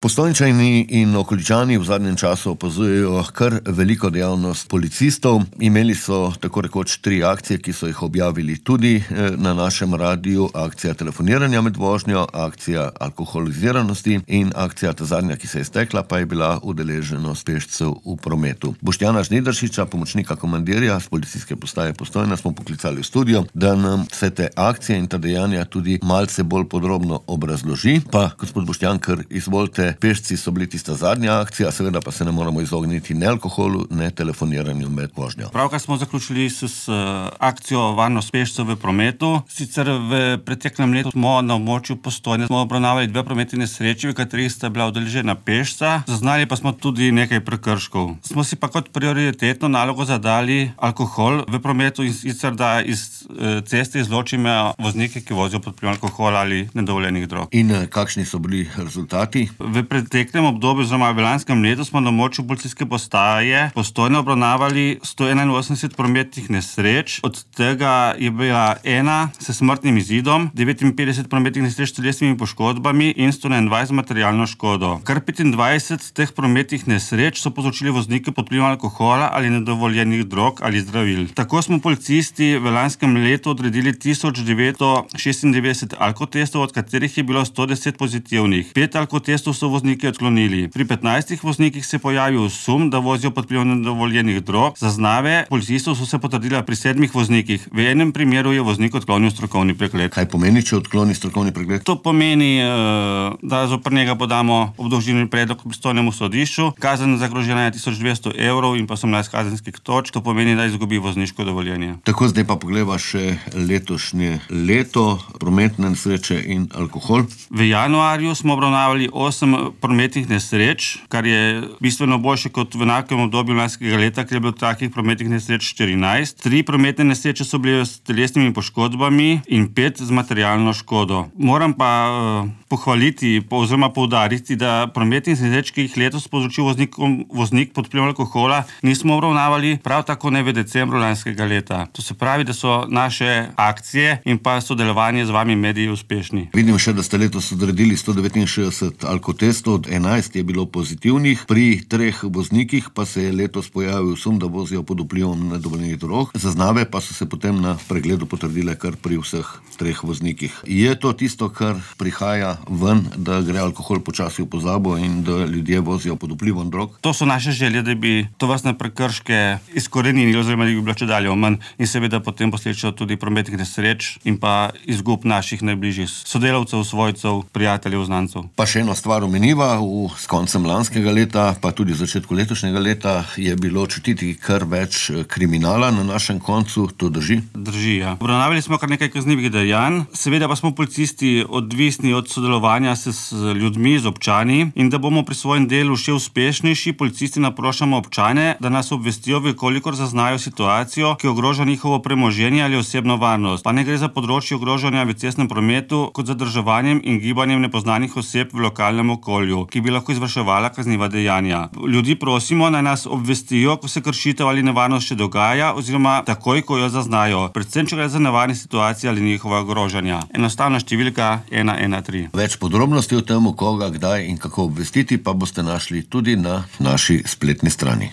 Postojnčani in okoličani v zadnjem času opazujejo kar veliko dejavnost policistov. Imeli so tako rekoč 3 akcije, ki so jih objavili tudi na našem radiju. Akcija telefoniranja med vožnjo, akcija alkoholiziranosti in akcija ta zadnja, ki se je stekla, pa je bila udeleženost pešcev v prometu. Boštjana Žnidaršiča, pomočnika komandirja z policijske postaje Postojna, smo poklicali v studio, da nam vse te akcije in ta dejanja tudi malce bolj podrobno obrazloži. Pa, gospod Boštjan, kar izvolite, pešci so bili tista zadnja akcija, seveda pa se ne moramo izogniti ne alkoholu, ne telefoniranju med vožnjo. Pravkar smo zaključili s akcijo varnost pešcev v prometu. Sicer v preteklem letu smo na območju Postojne obravnavali 2 prometne nesreče, v katerih sta bila udeležena pešca. Zaznali pa smo tudi nekaj prekrškov. Smo si pa kot prioritetno nalogo zadali alkohol v prometu, in sicer da iz ceste izločimo voznike, ki vozijo pod vplivom alkohola ali nedovoljenih drog. In kakšni so bili rezultati? V preteklem obdobju, oziroma v lanskem letu, smo na območju policijske postaje Postojna obravnavali 181 prometnih nesreč. Od tega je bila 1 s smrtnim izidom, 59 prometnih nesreč s telesnimi poškodbami in 121 z materialno škodo. Kar 25 teh prometnih nesreč so povzročili vozniki pod vplivom alkohola ali nedovoljenih drog ali zdravil. Tako smo policisti v lanskem letu odredili 1996 alkotestov, od katerih je bilo 110 pozitivnih. 5 alkotestov so vozniki odklonili. Pri 15 voznikih se je pojavil sum, da vozijo pod vplivom nedovoljenih drog. Zaznave policistov so se potrdile pri 7 voznikih. V enem primeru je voznik odklonil strokovni pregled. Kaj pomeni, če odkloni strokovni pregled? To pomeni, da zoper njega podamo obdolžilni predlog pristojnemu sodišču. Kazen zagrožena je 1200 evrov in pa 18 kazenskih točk. To pomeni, da izgubi vozniško dovoljenje. Tako, zdaj pa pogleda še letošnje leto, prometne nesreče in alkohol. V januarju smo obravnavali 8 prometnih nesreč, kar je bistveno boljše kot v enakem obdobju lanskega leta, ker je bilo takih prometnih nesreč 14. 3 prometne nesreče so bile s telesnimi poškodbami in 5 z materialno škodo. Moram pa pohvaliti oziroma poudariti, da prometnih nesreč, ki jih letos povzročil voznik pod vplivom alkohola, nismo obravnavali, prav tako ne v decembru lanskega leta. To se pravi, da so naše akcije in pa sodelovanje z vami mediji uspešni. Vidim še, da ste letos odredili 169 alkotestov, 11 je bilo pozitivnih, pri 3 voznikih pa se je letos pojavil sum, da vozijo pod vplivom nedovoljenih drog. Zaznave pa so se potem na pregledu potrdile kar pri vseh 3 voznikih. Je to tisto, kar prihaja ven, da gre alkohol počasi v pozabo in da ljudje vozijo pod vplivom drog? To so naše želje, da bi tovrstne prekrške izkorenili oziroma da bi bilo čedalje manj in seveda potem posledično tudi prometnih nesreč in pa izgub naših najbližjih sodelavcev, svojcev, prijateljev, znancev. Pa še eno stvar omeniva, s koncem lanskega leta, pa tudi v začetku letošnjega leta je bilo čutiti kar več kriminala na našem koncu, to drži? Drži, ja. Obravnavali smo kar nekaj kaznivih dejanj, seveda pa smo policisti odvisni od sodelovanja z ljudmi, z občani, in da bomo pri svojem delu še uspešnejši, policisti naprošamo občane, da nas obvestijo, kolikor zaznajo situacijo, ki ogroža njihovo premoženje ali osebno varnost. Pa ne gre za področje ogrožanja v cestnem prometu kot zadrževanjem in gibanjem nepoznanih oseb v lokalnem okolju, ki bi lahko izvrševala kazniva dejanja. Ljudi prosimo, naj nas obvestijo, ko se kršitev ali nevarnost še dogaja, oziroma takoj, ko jo zaznajo, predvsem če gre za nevarne situacije ali njihova ogrožanja. Enostavna številka 113. Več podrobnosti o tem, koga, kdaj in kako obvestiti, pa boste našli tudi na naši spletni strani.